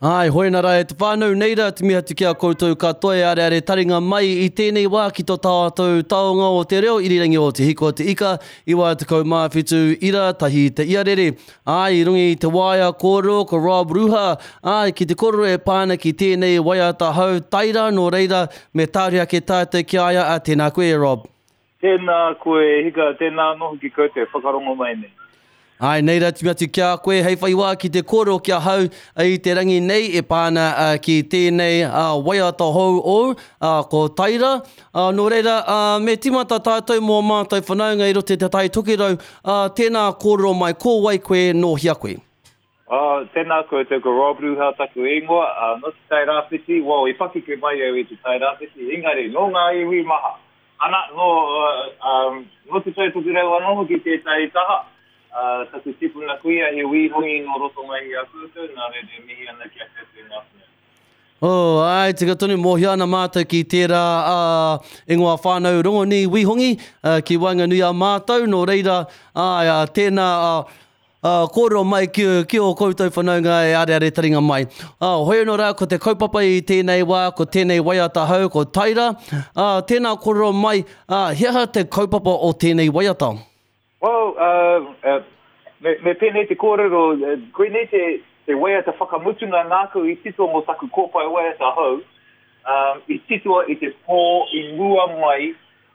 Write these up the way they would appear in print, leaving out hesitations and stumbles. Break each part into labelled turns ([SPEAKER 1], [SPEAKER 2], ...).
[SPEAKER 1] Āe, hoena rā e te whānau, nei rā te mihi atu ki a koutou katoa e areare taringa mai i tēnei wā ki tō tātou taonga o te reo irirangi o Te Hiko o Te Ika, 97 ira tahi te iarere. Āe, i runga i te waea kōrero ko Rob Ruha, āe, ki te kōrero e pā ana ki tēnei waiata hou taira, nō reira, me tāria ake tātou ki a ia, ā, tēnā koe e Rob.
[SPEAKER 2] Tēnā koe e hika, tēnā anō hoki koutou e whakarongo mai nei.
[SPEAKER 1] Āe, nei rā tū atu ki a koe hei whai wā ki te kōrero ki ahau i te rangi nei e pā ana ki tēnei waiata hou ōu, ko Taira. Nō reira, me tīmata tātou mō mātou whanaunga i roto i Te Tai Tokerau, tēnā kōrero mai, ko wai koe, nō hea koe?
[SPEAKER 2] Tēnā koutou, ko Rob Ruha taku ingoa, nō Te Tai Rāwhiti, well, i pakeke mai au i Te Tai Rāwhiti, engari, nō ngā iwi maha. Ana, nō, um, nō Te Tai Tokerau anō hoki tētahi taha, taku tipuna kuia he Wī Hongi nō roto mai i a koutou, nā reira e mihi ana ki a koutou ngā whanaunga.
[SPEAKER 1] Oh, āe, tika tonu, mōhio ana mātou ki tērā ingoa whānau rongonui Wī Hongi, ki waenganui a mātou, nō reira, āe, tēnā, Ā, kōrero mai ki, ki ō koutou whanaunga e areare taringa mai. Ā, hoi anō rā, ko te kaupapa i tēnei wā, ko tēnei waiata hou, ko Taira. Ā, tēnā kōrero mai, ā, he aha te kaupapa o tēnei waiata?
[SPEAKER 2] Well, uh, me, me pēnei te kōrero, koinei te, te waiata whakamutunga nāku i tito mō taku kōpae waiata hou, um, i titoa i te pō i mua mai,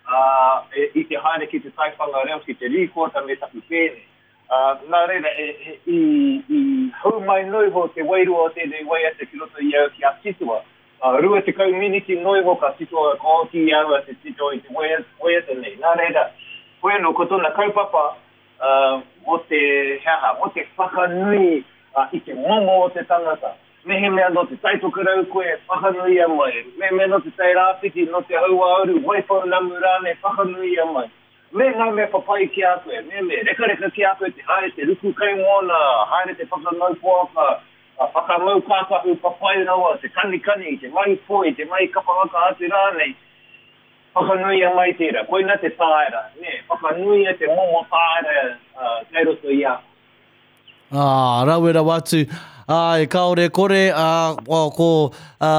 [SPEAKER 2] uh, i te haere ki te taiwhanga reo, ki te rīkoata me taku pēne. Ā, nā reira, e, e, i, i hou mai noa iho te wairua o tēnei waiata ki roto i au ki a titoa. Ā, 20 miniti noa iho ka titoa, ka oti i au a te tito i te waiata, waiata nei. Nā reira, hoi anō, ko tōna kaupapa, ā, mō te, he aha, mō te whakanui, ā, i te momo o te tangata. Mehemea nō Te Tai Tokerau koe, whakanuia mai. Mehemea nō Te Tai Rāwhiti, nō Te Hauāuru, Waipounamu rānei, whakanuia mai. Me ngā mea papai ki a koe, me me rekareka ki a koe te haere te ruku kaimoana, haere te whakangau poaka, whakamau kākahu papai rawa, te kanikani, te mahi poi, te mahi kapa haka atu rānei, whakanuia mai tērā. Koina te tāera, nē, whakanuia te momo tāera kei roto i a koe.
[SPEAKER 1] Ā, rawe rawa atu. Āe, kāore kore, ā, ko, ā,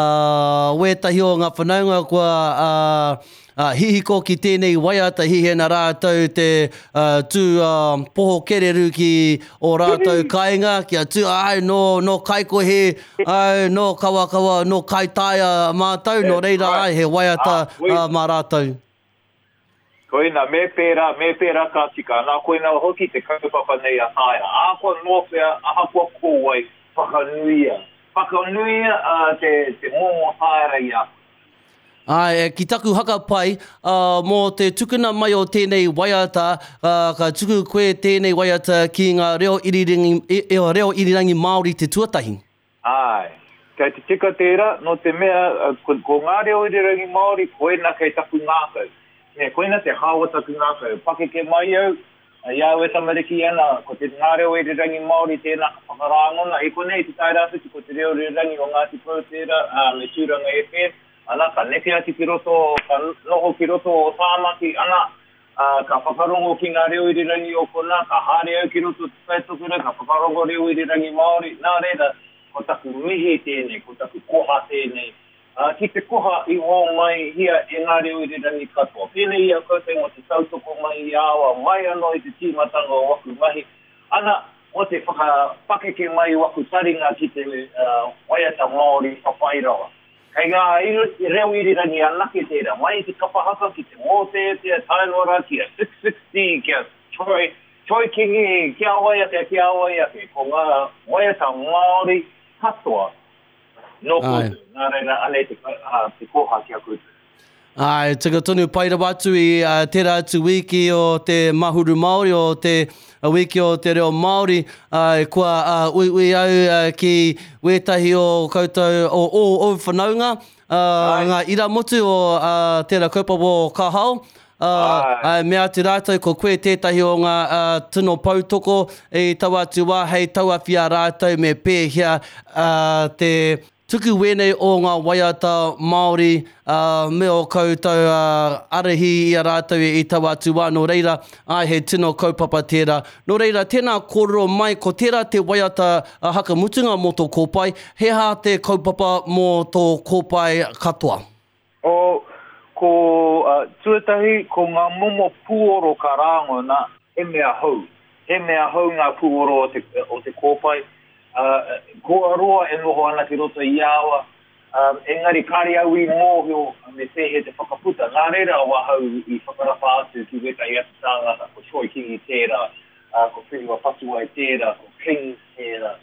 [SPEAKER 1] wētahi o ngā whanaunga kua, ā, ā, hihiko ki tēnei waiata, hihi ana rātou te, ā, tū, ā, poho kereru ki ō rātou kāinga, kia tū, āe, nō, nō Kaikohe, āe, nō Kawakawa, nō Kaitaia mātou, nō reira, āe, he waiata, ā, mā rātou.
[SPEAKER 2] Koina, me pērā, me pērā ka tika. Nā, koina hoki te kaupapa nei a Taera. Ahakoa nō whea, ahakoa ko wai, whakanuia. Whakanuia te, te momo taera i a koe.
[SPEAKER 1] Āe, ki taku haka pai, mō te tukuna mai o tēnei waiata, ka tuku koe tēnei waiata ki ngā reo irirangi, reo irirangi Māori te tuatahi.
[SPEAKER 2] Āe. Kei te tika tērā, nō te mea, ko, ko ngā reo irirangi Māori, koina kei taku ngākau. Nē, koina te hao o taku ngākau. Pakeke mai au, i a au e tamariki ana, ko te ngā reo irirangi Māori tēnā ka whakarāngona. I konei i Te Tairāwhiti, ko te reo irirangi o Ngāti Porou tērā, ā, me Tūranga FM. Ana, ka neke atu ki roto, ka noho ki roto o Tāmaki, ana, Ā, ka whakarongo ki ngā reo irirangi o konā, ka haere au ki roto o Te Tai Tokerau, ka whakarongo reo irirangi Māori, nā reira, ko taku mihi tēnei, ko taku koha tēnei, ā, ki te koha i hōmaihia e ngā reo irirangi katoa. Pēnei i a koutou mō te tautoko mai i a au mai anō i te tīmatanga o aku mahi, ana, mō te whakapakeke mai i waku taringa ki te waiata Māori papai rawa. Kei ngā reo irirangi anake tērā, mai i te kapa haka ki te mōteatea tae noa rā ki a Six60, ki a Troy, Troy Kingi, ki a wai ake, ki a wai ake. Ko ngā waiata Māori katoa nō koutou, nā reira anei te, te koha ki a koutou.
[SPEAKER 1] Āe, tika tonu, pai rawa atu i tērā atu wīki o te Mahuru Māori, o te wīki o te reo Māori, āe, kua uiui au ki wētahi o koutou, o ō ōu whanaunga, ngā iramotu o tērā kaupapa o Ka Hao, āe, mea atu rātou ko koe tētahi o ngā tino poutoko i taua atu wā hei tauawhi a rātou me pēhea te. tuku wēnei o ngā waiata Māori me ō koutou arahi i a rātou i taua atu wā, nō reira, āe he tino kaupapa tērā. Nō reira, tēnā kōrero mai, ko tērā te waiata haka mutunga mō tō kōpae, he aha te kaupapa mō tō kōpae katoa?
[SPEAKER 2] Oh, ko, tuatahi, ko ngā momo pūoro ka rāngona, he mea hou. He mea hou ngā pūoro o te, o te kōpae. Kua roa e noho ana ki roto i a au, engari kāre au i mōhio me pēhea te whakaputa. Nā reira ahau i whakarapa atu ki wētahi atu tāngata, ko Troy Kingi tērā, ko Whenua Patuwai tērā, ko Kings tērā.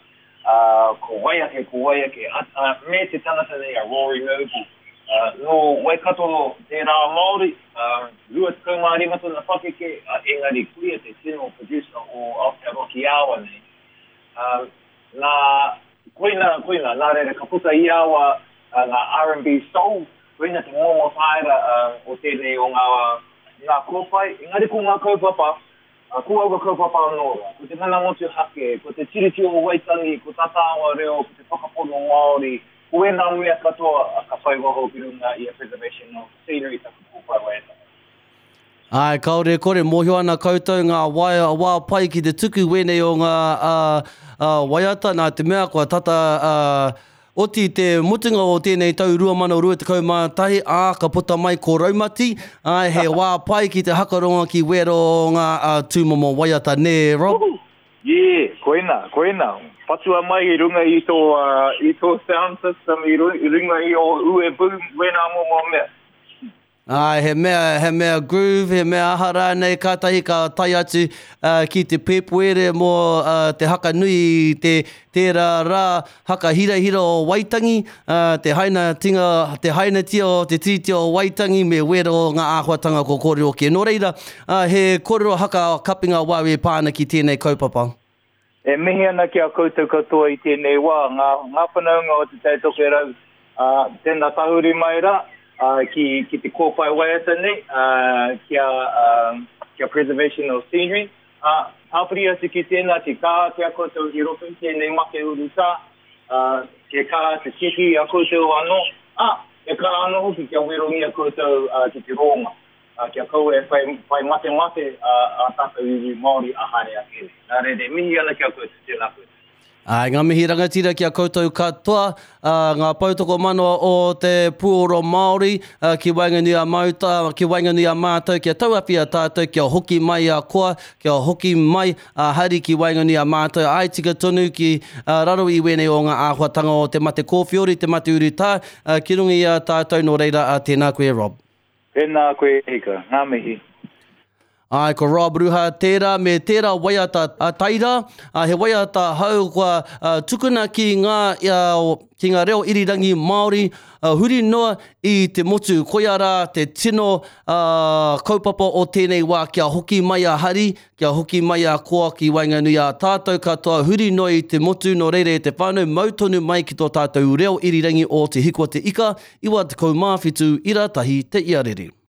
[SPEAKER 2] Ā, ko wai ake, ko wai ake, ā, ā, me te tangata nei a Rory Noble, ā, nō Waikato tērā Māori, ā, 25 tōna pakeke, ā, engari koia te tino producer o Aotearoa ki aua nei. Ā, nā, koina, koina, nā reira ka puta i aua ngā R&B soul, koina te momo tāera, ā, o tēnei o ngā, ngā kōpae, engari ko ngā kaupapa, Ā, ko aua kaupapa anō rā, ko te mana motuhake, ko te Tiriti o Waitangi, ko tā tāua reo, ko te whakapono Māori, ko ēnā mea katoa ka whai waho ki runga i a Preservation of Scenery taku kōpae waiata.
[SPEAKER 1] Āe, kāore e kore, mōhio ana koutou ngā waea, wā pai ki te tuku wēnei o ngā waiata, nā te mea kua tata Oti te mutunga o tēnei tau 2021, ā, ka puta mai ko Raumati, ā, he wā pai ki te hakarongo ki wēra o ngā tūmomo waiata, nē, Rob?
[SPEAKER 2] Woohoo! Yeah, koina, koina. Patua mai i runga i tō, i tō sound system, i runga i ō ue boom, wēnā momo mea.
[SPEAKER 1] Āe, he mea, he mea groove, he mea aha rānei, kātahi ka tae atu ki te Pēpuere mō te haka nui i te, tērā rā haka hirahira o Waitangi, te hainatinga, te hainatia o te Tiriti o Waitangi me wēra o ngā āhuatanga kua kōrero kē. Nō reira, he kōrero haka kapinga wāu e pā ana ki tēnei kaupapa.
[SPEAKER 2] E mihi ana ki a koutou katoa i tēnei wā, ngā, ngā whanaunga o Te Tai Tokerau, ā, tēnā tahuri mai rā, ā, ki, ki te kōpae waiata nei, ā, ki a, ā, ki a Preservation of Scenery, ā, tāpiri atu ki tēnā, ki kaha ki a koutou i roto i tēnei make urutā, ā, kia kaha te tiaki i a koutou anō, ā, kia kaha anō hoki kia werongia koutou, ā, ki te rōnga. ā, kia kaua e whai, whai matemate ā, ā tātou iwi Māori ā haere ake nei. Nā reira, e mihi ana ki a koutou, tēnā koutou.
[SPEAKER 1] Āe, ngā mihi rangatira ki a koutou katoa, ā, ngā poutokomanawa o te puoro Māori, ā, ki waenganui a mauta, ki waenganui a mātou, kia tauawhi a tātou, kia hoki mai a koa, kia hoki mai a hari ki waenganui a mātou, āe tika tonu ki, ā, raro i wēnei o ngā āhuatanga o te mate kōwhiori, te mate urutā, ā, ki runga i a tātou, nō reira, ā, tēnā koe Rob.
[SPEAKER 2] Tēnā koe e hika. Ngā mihi.
[SPEAKER 1] Āe, ko Rob Ruha tērā me tērā waiata a Taira, ā, he waiata hou kua tukuna ki ngā, ki ngā reo irirangi Māori huri noa i te motu. Koia rā te tino kaupapa o tēnei wā kia hoki mai a Hari, kia hoki mai a Koa ki waenganui a tātou katoa huri noa i te motu, nō reira e te whānau mau tonu mai ki tō tātou reo irirangi o Te Hiko Te Ika, 97 ira tahi te iarere.